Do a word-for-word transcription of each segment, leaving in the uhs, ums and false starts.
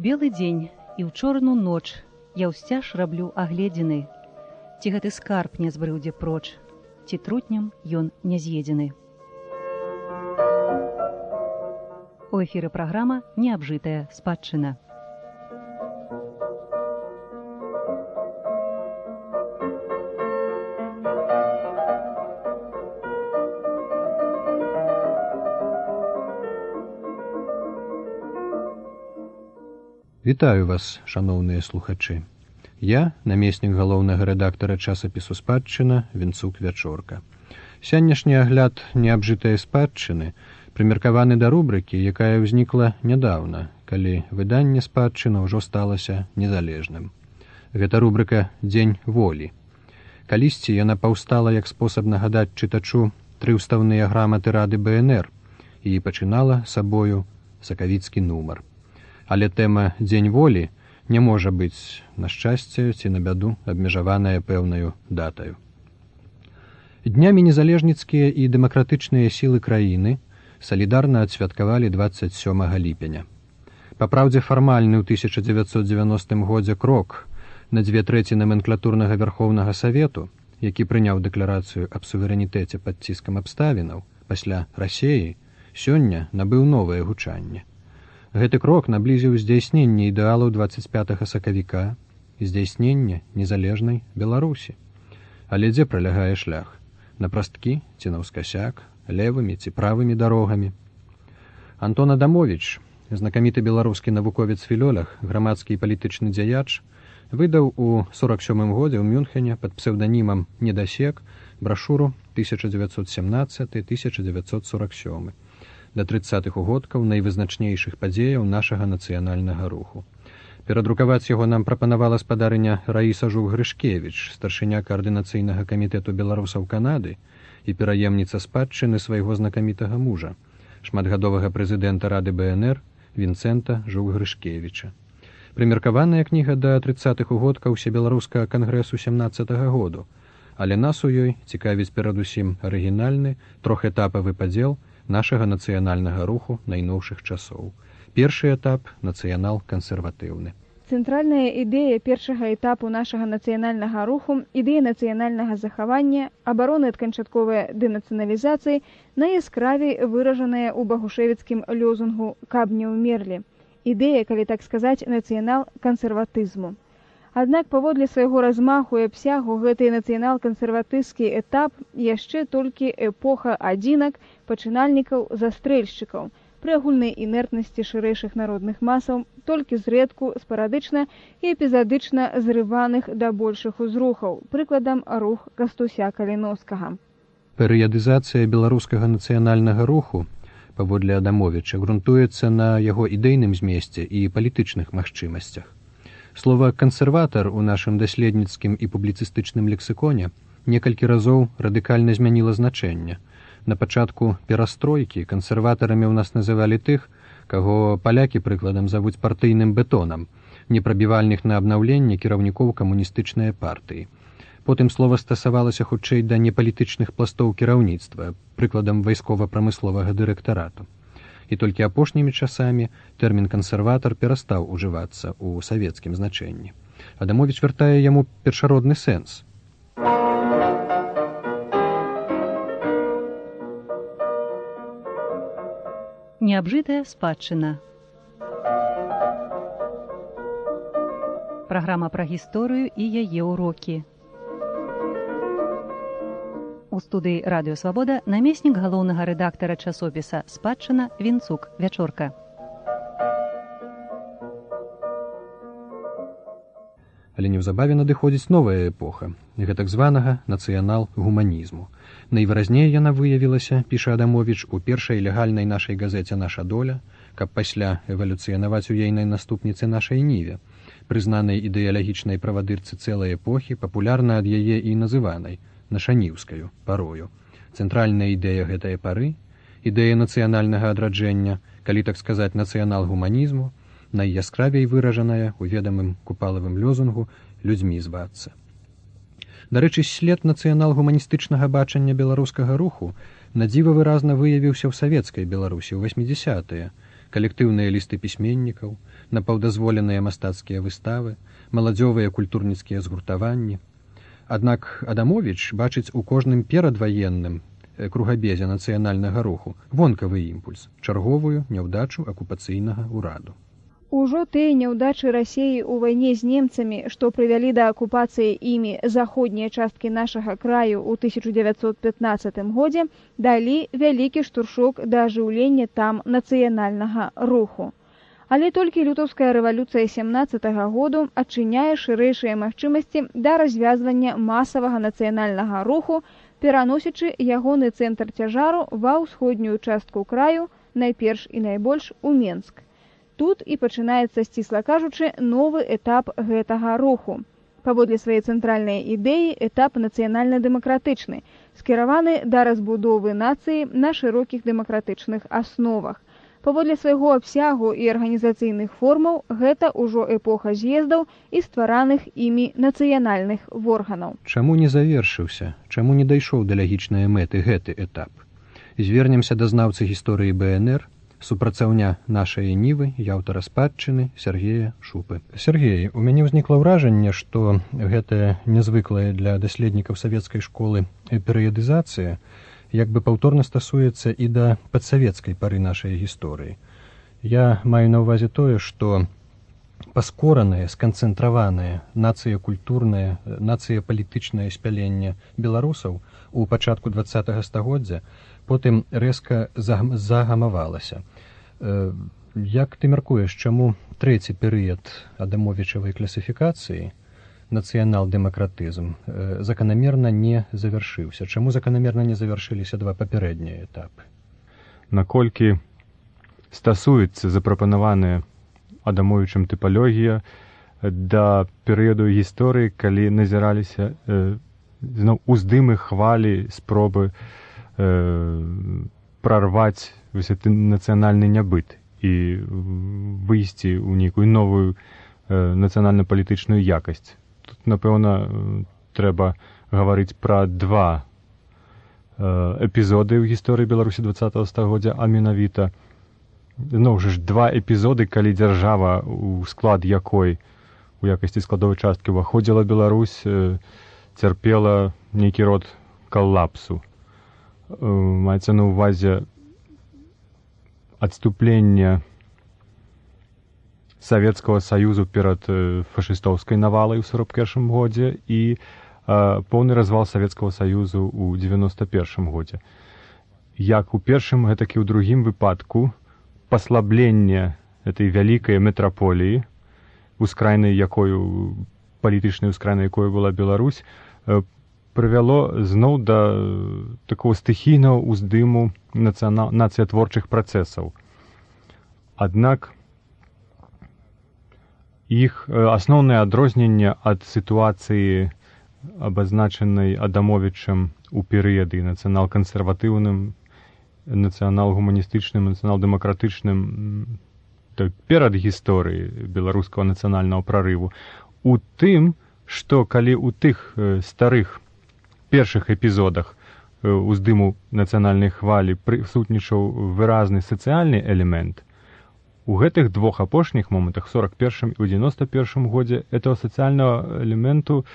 белы дзень і ў чорную ноч я ўсцяж раблю агледзіны. Ці гэты скарб не збрыўдзе проч, ці трутнем ён не з'едзены. У эфіры праграма «Неабжытая спадчына». Вітаю вас, шаноўныя слухачы. Я, намеснік галоўнага рэдактара часопісу «Спадчына» Вінцук Вячорка. Сённяшні агляд неабжытае спадчыны прымеркаваны да рубрыкі, якая ўзнікла нядаўна, калі выданне «Спадчына» ўжо сталася незалежным. Гэта рубрыка «Дзень волі». Калісьці яна паўстала як спосаб нагадаць чытачу тры ўставныя граматы Рады бэ эн эр і пачынала сабою сакавіцкі нумар. Але тэма «Дзень волі» не можа быць, на шчасце ці на бяду, абмежаваная пэўнаю датаю. Днямі незалежніцкія і дэмакратычныя сілы краіны салідарна адсвяткавалі дваццаць сёмага ліпеня. Па праўдзе, фармальны ў тысяча дзевяцьсот дзевяностым годзе крок на дзве трэці наменклатурнага Вярхоўнага Савету, які прыняў дэкларацыю аб суверэнітэце пад ціскам абставінаў пасля Расеі, сёння набыў новае гучанне. Гэты крок наблізіў здзяйсненне ідэалаў дваццаць пятага сакавіка і здзяйсненне незалежнай Беларусі. Але дзе пралягае шлях? На прасткі ці наўскасяк, левымі ці правымі дарогамі? Антон Адамовіч, знакаміты беларускі навуковец-філолог, грамадскі і палітычны дзяяч, выдаў у сорак сёмым годзе ў Мюнхене пад псеўданімам «Недасек» брашуру тысяча дзевяцьсот семнаццаты - тысяча дзевяцьсот сорак сёмы да трыццатых угодкаў найвызначнейшых падзеяў нашага нацыянальнага руху. Перадрукаваць яго нам прапанавала спадарыня Раіса Жук-Грышкевіч, старшыня каардынацыйнага камітэту беларусаў Канады і пераемніца спадчыны свайго знакамітага мужа, шматгадовага прэзідэнта Рады бэ эн эр Вінцэнта Жук-Грышкевіча. Прымеркаваная кніга да трыццатых угодкаў усебеларускага кангрэсу сямнаццатага году, але нас у ёй цікавіць перадусім арыгінальны трохэтапавы падзел нашага нацыянальнага руху найноўшых часоў. Першы этап – нацыянал-кансерватыўны. Цэнтральная ідэя першага этапу нашага нацыянальнага руху, ідэя нацыянальнага захавання, абароны ад канчатковай дэнацыяналізацыі найяскравей выражаная ў багушевіцкім лёзунгу «Каб не ўмерлі». Ідэя, калі так сказаць, нацыянал-кансерватызму. Аднак паводле свайго размаху і абсягу гэты нацыянал-кансерватызскі этап яшчэ толькі эпоха адзінак, пачынальнікаў, застрэльшчыкаў, пры агульнай інертнасці шырэйшых народных масаў, толькі зрэдку, спарадычна і эпізадычна зрываных да большых узрухаў, прыкладам рух Кастуся Каліноўскага. Перыядызацыя беларускага нацыянальнага руху, паводле Адамовіча, грунтуецца на яго ідэйным змесце і палітычных магчымасцях. Слова «кансерватар» у нашым даследніцкім і публіцыстычным лексіконе некалькі разоў радыкальна змяніла значэнне. На пачатку перастройкі кансерватарамі ў нас называлі тых, каго палякі прыкладам завуць партыйным бетонам, непрабівальных на абнаўленне кіраўнікоў камуністычнай партыі. Потым слова стасавалася хутчэй да непалітычных пластоў кіраўніцтва, прыкладам вайскова-прамысловага дырэктарату. І толькі апошнімі часамі тэрмін «кансерватар» перастаў ужывацца ў савецкім значэнні. Адамовіч вяртае яму першародны сэнс. Неабжытая спадчына. Праграма пра гісторыю і яе ўрокі. У студыі «Радыё Свабода» намеснік галоўнага рэдактара часопіса «Спадчына» Вінцук Вячорка. Але неўзабаве надыходзіць новая эпоха, гэтак званага нацыянал-гуманізму. Найвыразней яна выявілася, піша Адамовіч, у першай легальнай нашай газеце «Наша доля», каб пасля эвалюцыянаваць у ейнай наступніцы нашай ніве, прызнанай ідэалагічнай правадырцы цэлай эпохі, папулярна ад яе і называнай нашаніўскаю парою. Цэнтральная ідэя гэтай пары, ідэя нацыянальнага адраджэння, калі так сказаць нацыянал-гуманізму, найяскравей выражаная у ведамым купалавым лёзунгу «людзьмі звацца». Дарэчы, след нацыянал-гуманістычнага бачання беларускага руху надзіва выразна выявіўся ў савецкай Беларусі ў васьмідзясятыя, калектыўныя лісты пісьменнікаў, напаўдазволеныя мастацкія выставы, маладзёвыя культурніцкія згуртаванні. Аднак Адамовіч бачыць у кожным перадваенным кругабезе нацыянальнага руху вонкавы імпульс, чарговую няўдачу акупацыйнага ўраду. Ужо тыя няўдачы Расіі ў вайне з немцамі, што прывялі да акупацыі імі заходнія часткі нашага краю ў тысяча дзевяцьсот пятнаццатым годзе, далі вялікі штуршок да ажыўлення там нацыянальнага руху. Але толькі лютаўская рэвалюцыя сямнаццатага году адчыняе шырэйшыя магчымасці да развязвання масавага нацыянальнага руху, пераносячы ягоны цэнтр цяжару ва ўсходнюю частку краю, найперш і найбольш у Менск. Тут і пачынаецца, сцісла кажучы, новы этап гэтага руху. Паводле свае цэнтральнай ідэі, этап нацыянальна-дэмакратычны, скіраваны да разбудовы нацыі на шырокіх дэмакратычных асновах. Паводле свайго абсягу і арганізацыйных формаў, гэта ўжо эпоха з'ездаў і ствараных імі нацыянальных органаў. Чаму не завершыўся, чаму не дайшоў да лягічнай мэты гэты этап? Звернемся да знаўцы гісторыі бэ эн эр, супрацаўня нашай нівы і аўтара спадчыны Сергея Шупы. Сергей, у мяне ўзнікла ўражанне, што гэтая нязвыклая для даследнікаў савецкай школы перыядызацыя як бы паўторна стасуецца і да падсавецкай пары нашай гісторыі. Я маю на ўвазе тое, што паскоранае, сканцэнтраванае нацыя-культурнае, нацыя-палітычнае спяленне беларусаў у пачатку дваццатага стагоддзя потым рэзка загамавалася. Як ты мяркуеш, чаму трэці перыяд адамовічавай класіфікацыі, нацыянал-дэмакратызм, заканамерна не завяршыўся? Чаму заканамерна не завяршыліся два папярэднія этапы? Наколькі стасуецца запрапанаваная Адамовічам тыпалогія да перыяду гісторыі, калі назіраліся э, зноў уздымы, хвалі, спробы э, прарваць гэты нацыянальны нябыт і выйсці ў нейкую новую э, нацыянальна-палітычную якасць. Тут, напэўна, трэба гаварыць пра два э, эпізоды ў гісторыі Беларусі дваццатага стагоддзя, а менавіта зноў жа ж два эпізоды, калі дзяржава, у склад якой у якасці складовай часткі ўваходзіла Беларусь, э, цярпела нейкі род калапсу. Э, маецца на ўвазе адступлення Савецкага Саюзу перад э, фашыстоўскай навалай у сорок першым годзе і э, поўны развал Савецкага Саюзу ў дзевяноста першым годзе. Як у першым, гэтак і ў другім выпадку паслабленне этой вялікай метраполіі, ускрайнай якою, палітычнай ускрайнай якой была Беларусь, э, прывяло зноў да такого стыхійнага ўздыму нацыянал... нацыятворчых працэсаў. Аднак іх асноўнае адрозненне ад сітуацыі, абазначанай Адамовічам у перыяды нацыянал-кансерватыўным, нацыянал-гуманістычным, нацыянал-дэмакратычным, так, перад гісторыі беларускага нацыянальнага прарыву, у тым, што калі ў тых э, старых першых эпізодах э, уздыму нацыянальнай хвалі прысутнічаў выразны сацыяльны элемент, у гэтых двух апошніх момантах, сорок першым і ў дзевяноста першым годзе, этого сацыяльнага элементу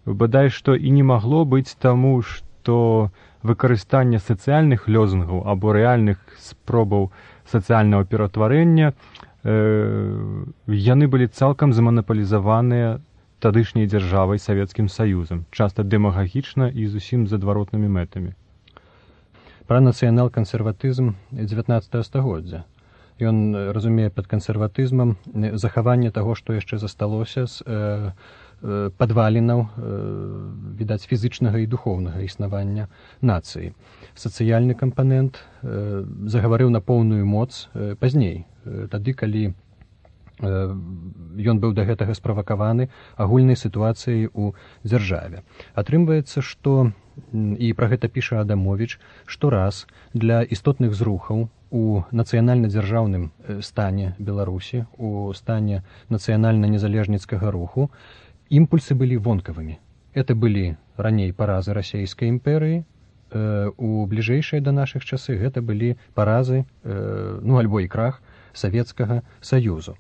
бадай што і не магло быць, таму што выкарыстанне сацыяльных лёзунгаў або рэальных спробаў сацыяльнага ператварэння, э, яны былі цалкам заманапалізаваныя тадышняй дзяржавай Савецкім Саюзам, часта дэмагагічна і зусім з адваротнымі мэтамі. Пра нацыянал-кансерватызм дзевятнаццатага стагоддзя. Ён разумее пад кансерватызмам захаванне таго, што яшчэ засталося з э, э, падвалінаў, э, відаць, фізычнага і духоўнага існавання нацыі. Сацыяльны кампанент э, загаварыў на поўную моц э, пазней, э, тады, калі ён быў да гэтага справакаваны агульнай сітуацыяй у дзяржаве. Атрымваецца, што, і пра гэта піша Адамовіч, штораз для істотных зрухаў у нацыянальна-дзяржаўным стане Беларусі, у стане нацыянальна-незалежніцкага руху, імпульсы былі вонкавымі. Это былі раней паразы расійскай імперыі, у бліжэйшыя да нашых часы гэта былі паразы, ну, альбо і крах Савецкага Саюзу.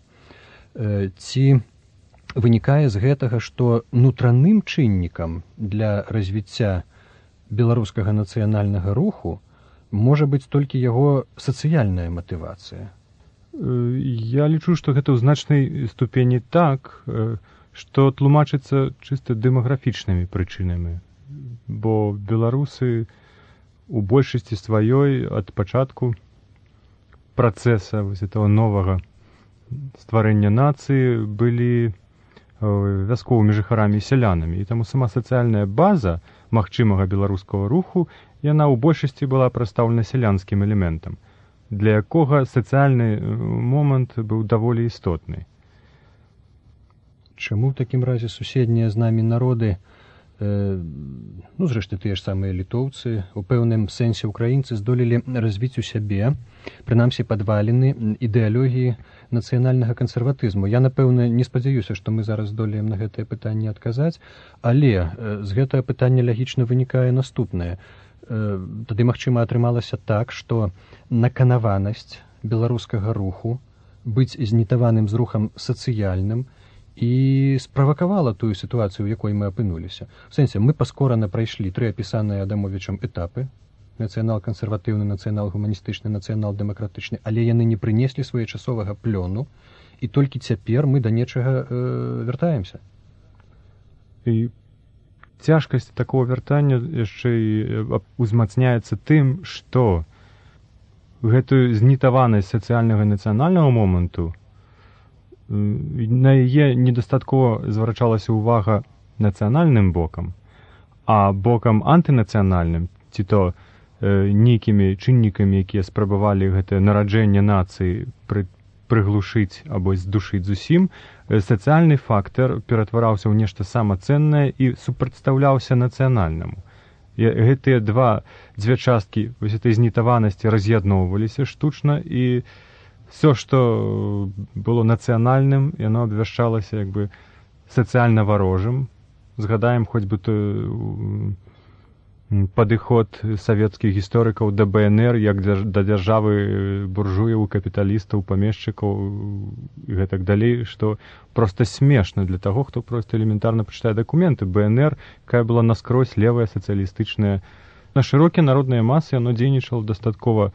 Ці вынікае з гэтага, што нутраным чыннікам для развіцця беларускага нацыянальнага руху можа быць толькі яго сацыяльная матывацыя? Я лічу, што гэта ў значнай ступені так, што тлумачыцца чыста дэмаграфічнымі прычынамі. Бо беларусы у большасці сваёй ад пачатку працэса вось этого новага стварэння нацыі былі вясковымі жыхарамі і сялянамі. І таму сама сацыяльная база магчымага беларускага руху, яна ў большасці была прадстаўлена сялянскім элементам, для якога сацыяльны момант быў даволі істотны. Чаму ў такім разе суседнія з намі народы, э, ну, зрэшты, тыя ж самыя літоўцы, у пэўным сэнсе украінцы здолелі развіць у сябе, прынамсі падваліны ідэалогіі нацыянальнага кансерватызму. Я, напэўна, не спадзяюся, што мы зараз здолеем на гэтае пытанне адказаць, але э, з гэтага пытання лягічна вынікае наступнае. Э, тады, магчыма, атрымалася так, што наканаванасць беларускага руху быць знітаваным з рухам сацыяльным і справакавала тую сітуацыю, у якой мы апынуліся. У сэнсе, мы паскорана прайшлі тры апісаныя Адамовічам этапы: нацыянал-кансерватыўны, нацыянал-гуманістычны, нацыянал-дэмакратычны, але яны не прынеслі своечасовага плёну, і толькі цяпер мы да нечага э, вяртаемся. І цяжкасць такого вяртання яшчэ і узмацняецца тым, што гэтую знітаванасць сацыяльнага нацыянальнага моманту, на яе недастаткова зварачалася ўвага нацыянальным бокам, а бокам антынацыянальным, ці то э, нейкімі чыннікамі, якія спрабавалі гэтае нараджэнне нацыі пры, прыглушыць або здушыць зусім, э, сацыяльны фактар ператвараўся ў нешта самацэннае і супрацьстаўляўся нацыянальнаму. І гэтыя два, дзве часткі вось этой знітаванасці раз'ядноўваліся штучна, і все, што было нацыянальным, яно абвяшчалася як бы сацыяльна варожым. Згадаем хоць бы той падыход савецкіх гісторыкаў да бэ эн эр як да дзяржавы буржуяў, капіталістаў, памешчыкаў і гэтак далей, што проста смешна для таго, хто проста элементарна прачытае дакументы. бэ эн эр, якая была наскрозь левая, сацыялістычная. На шырокія народныя масы яно дзейнічала дастаткова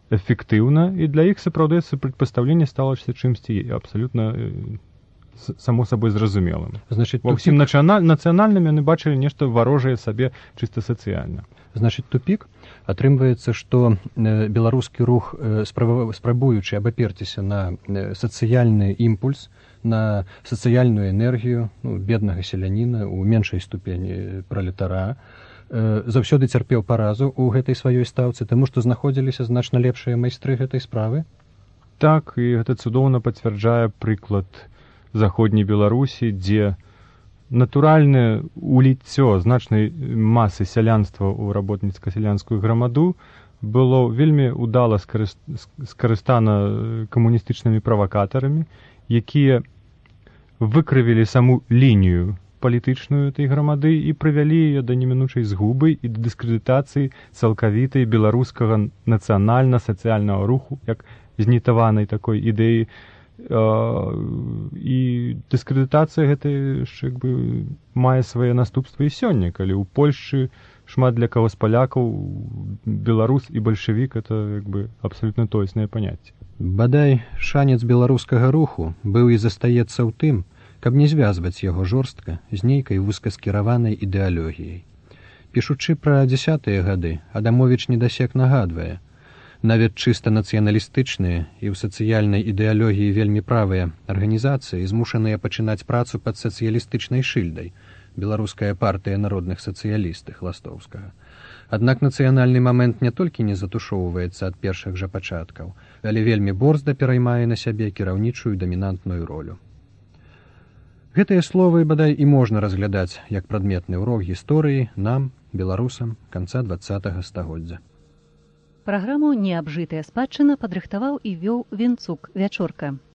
эфектыўна, і для іх сапраўды прадпастаўленне сталася чымсьці абсалютна само сабой зразумелым. Значыць, ва ўсім нацыянальным яны бачылі нешта варожае сабе чыста сацыяльна. Значыць, тупік. Атрымваецца, што беларускі рух, спрабуючы абаперціся на сацыяльны імпульс, на сацыяльную энергію, ну, беднага селяніна, у меншай ступені пралетара, заўсёды цярпеў паразу ў гэтай сваёй стаўцы, таму што знаходзіліся значна лепшыя майстры гэтай справы? Так, і гэта цудоўна пацвярджае прыклад заходняй Беларусі, дзе натуральнае уліццё значнай масы сялянства ў работніцка-сялянскую грамаду было вельмі удала скарыстана камуністычнымі правакатарамі, якія выкрывілі саму лінію палітычную этой грамады і прывялі яе да немінучай згубы і да дыскрэдытацыі цалкавітай беларускага нацыянальна-сацыяльнага руху, як знітаванай такой ідэі. І дыскрэдытацыя гэтай як бы мае свае наступствы і сёння, калі ў Польшчы шмат для каго з палякаў беларус і бальшавік — это як бы абсалютна тоеснае паняцце. Бадай, шанец беларускага руху быў і застаецца ў тым, каб не звязваць яго жорстка з нейкай вузкаскіраванай ідэалогіяй. Пішучы пра дзясятыя гады, Адамовіч недасек нагадвае, нават чыста нацыяналістычныя і ў сацыяльнай ідэалогіі вельмі правыя арганізацыі змушаныя пачынаць працу пад сацыялістычнай шыльдай, беларуская партыя народных сацыялістых Ластоўскага. Аднак нацыянальны момент не толькі не затушоўваецца ад першых жа пачаткаў, але вельмі борзда пераймае на сябе кіраўнічую дамінантную ролю. Гэтыя словы, бадай, і можна разглядаць як прадметны ўрок гісторыі нам, беларусам, канца дваццатага стагоддзя. Праграму «Неабжытая спадчына» падрыхтаваў і вёў Венцук Вячорка.